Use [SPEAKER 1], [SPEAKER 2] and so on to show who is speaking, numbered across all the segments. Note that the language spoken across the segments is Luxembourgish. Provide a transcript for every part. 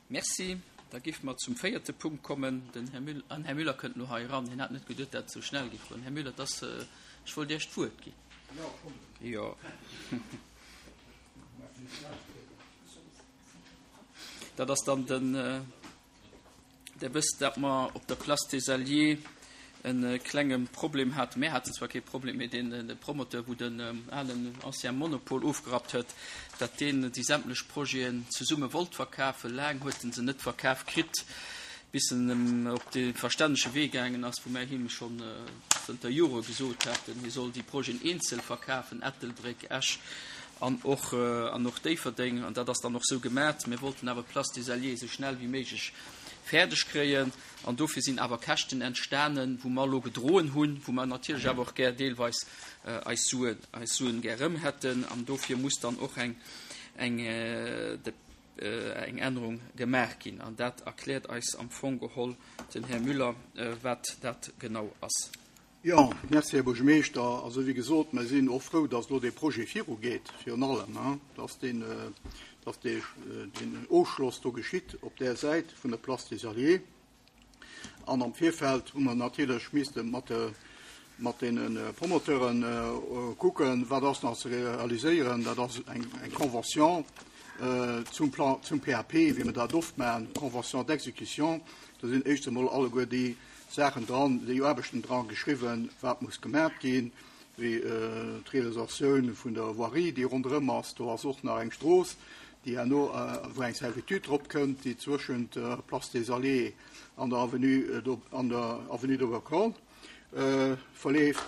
[SPEAKER 1] Merci. Da géife mer zum véierte Punkt kommen. Den Här Müller, an Här Müller kënnt elo hei eran. Hien hat net geduet, dat et esou schnell géif goen. Här Müller, et ass, ech wollt Iech d'Wuert ginn. Jo. Dat ass dann den. Der wësst, datt mer op der Place des Alliés e klenge Problem haten. Mär haten zwar kee Problem, mee deen de Promoteur, wou den alen ancien Monopol ofgerappt huet, datt deen déi sämtlech Projeten zesumme wollt verkafen. Laang huet en se net verkaf kritt, bis en op de verstännege Wee gaangen ass, wou mär him schonn zënter Jore gesot haten, hie soll déi Projeten eenzel verkafen, Ettelbréck, Esch an och an och Déifferdeng. An dat ass dann och esou gemat. Mir wollten awer d'Place des Alliés esou schnell wéi méiglech fäerdeg kréien. An dofir sinn awer Käschten entstanen, wou mer elo gedroen hunn, wou mer natierlech awer och gär deelweis eis Suen, eis Suen gär erëm hätten. An dofir muss dann och eng, eng, eng Ännerung gemaach ginn. An dat erkläert eis am Fong geholl den Här Müller, wat dat genau ass.
[SPEAKER 2] Jo, merci, Här Buergermeeschter. Also, wéi gesot, mer sinn och frou, dass elo dee Projet virugeet, virun allem, dass deen, dass dee, deen Ofschloss do geschitt op där Säit vun der Place des Alliés. An am Virfeld hu mer natierlech misste mat de, mat deene Promoteuren kucken, wat ass nach ze realiséieren. Dat ass eng, eng Convention zum Plan, zum PAP, wéi mer dat oft maachen, Convention d'exécution. Do sinn éischt emol alleguer déi Saachen dran, déi Aarbechten dra geschriwwen, wat muss gemat ginn, wéi d'Realisatioun vun der Voirie, déi ronderëm ass. Do ass och nach eng Strooss, déi herno, wou eng Servitude drop kënnt, déi zwëschent der Place des Alliés an der Avenue, an der Avenue de Rocolle verleeft.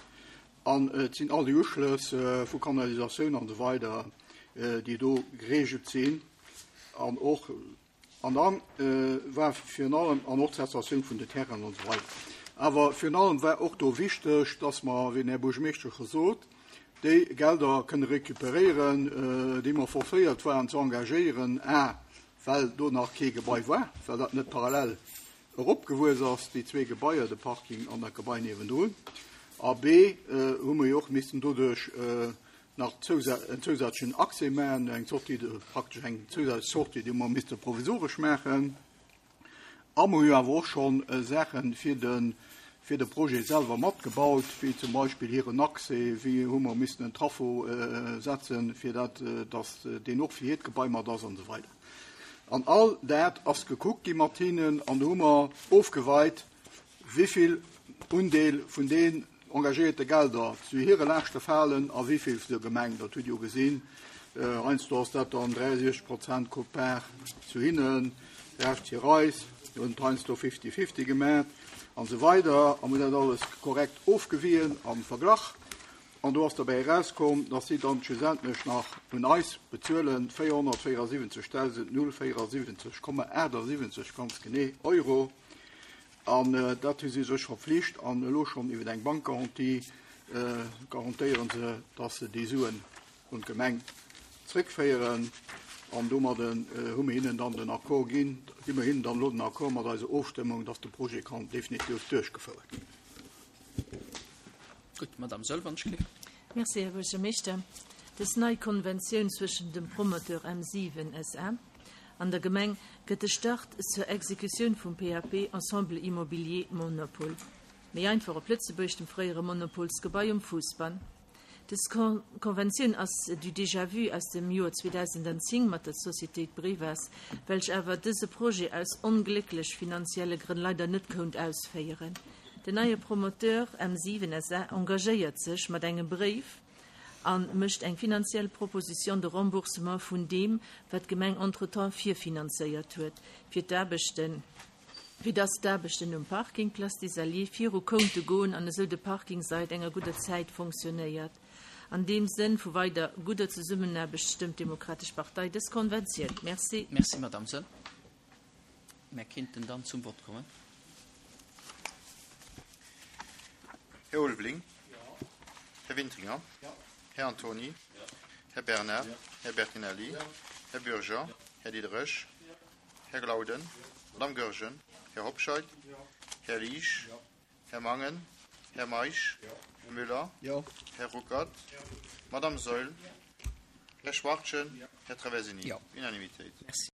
[SPEAKER 2] An et sinn all déi Uschlëss vu Kanalisatioun an esou weider, déi do geregelt sinn. An och An da war virun allem, an och d'Cessatioun vun de Terrainen an esou weider. Awer virun allem war och do wichteg, dass mer, wéi den Här Buergermeeschter scho sot, déi Gelder kënne recuperéieren, déi mer forcéiert waren ze engagéieren, a well do nach kee Gebai war, well dat net parallel eropgewuess ass, déi zwee Gebaier, de Parking an dat Gebai niewendrun, a b hu mer jo och missen doduerch nach en zousätzlechen Accès maachen, eng Sortie de, praktesch eng zousätzlech Sortie, déi mer misste provisoresch maachen. A mer hu jo awer och schonn Saache fir de, fir de Projet selwer matgebaut, wéi zum Beispill hiren Accès, wéi hu mer missen en Traffo setzen, fir dat, datt deen och fir hiert Gebai mat ass an esou weider. An all dat ass gekuckt gi mat hinnen an do hu mer ofgeweit, wéivill Undeel vun den engagéierte Gelder zu hire Laaschte falen a wéivill zu der Gemeng. Dat hutt Dir jo gesinn. Heiansdo ass dat dann 63 Prozent Quote-part zu hinnen, de Rescht fir eis. Mir hunn et heiansdo fifty-fifty gemaach an esou weider a mir hunn dat alles korrekt ofgewien a verglach. An do ass derbäi erauskomm, dass si dann schlussendlech nach un eis bezuelen 474.074,78 ganz genee Euro. An dat hu si sech verpflicht an elo schonn iwwer eng Bankgarantie garantéiere se, dass se déi Suen un d'Gemeng zréckféieren. An domadden hu mir hinnen dann den Accord ginn, gi mir hinnen dann elo den Accord mat eiser Ofstëmmung, dass de Projet kann definitiv duerchgefouert ginn.
[SPEAKER 1] Gutt, Madamm Sölvanschke.
[SPEAKER 3] Merci, Här Buergermeeschter. Dës nei Konventioun zwëschen dem Promoteur M7 SA an der Gemeng gëtt de Start zur Exekutioun vum PAP Ensemble Immobilier Monopol, méi einfach op Lëtzebuergesch, dem fréiere Monopolsgebai um Fousbann. Dës Konventioun ass du déjà-vu aus dem Joer 2010 mat der Sociétéit Brevas, welch awer dëse Projet aus onglécklech finanzielle Grënn leider net kount ausféieren. Den neie Promoteur M7 SA engagéiert sech mat engem Bréif a mécht eng finanziell Proposition de remboursement vun deem, wat d'Gemeng entretemps virfinanzéiert huet, fir d'Aarbechten, fir dass d'Aarbechten um Parking Place des Alliés viru kounte goen an esou de Parking sait enger gudder Zäit fonctionnéiert. An deem Sënn vu weider gudder Zesummenaarbecht stëmmt d'Demokratesch Partei dës Konventioun. Merci.
[SPEAKER 1] Merci, Madame Sëll. Mär kinnten dann zum Vott kommen.
[SPEAKER 4] Här Ulveling. Här Wintringer. Här Antony. Här Bernard. Här Bertinelli. Här Bürger. Här Diderich. Här Glauden, Madame Goergen, Här Hobscheit, Här Liesch, Här Mangen, Här Meisch, Här Müller, Här Ruckert, Madame Saeul, Här Schwachtgen, Här Traversini. Unanimitéit.
[SPEAKER 1] Merci.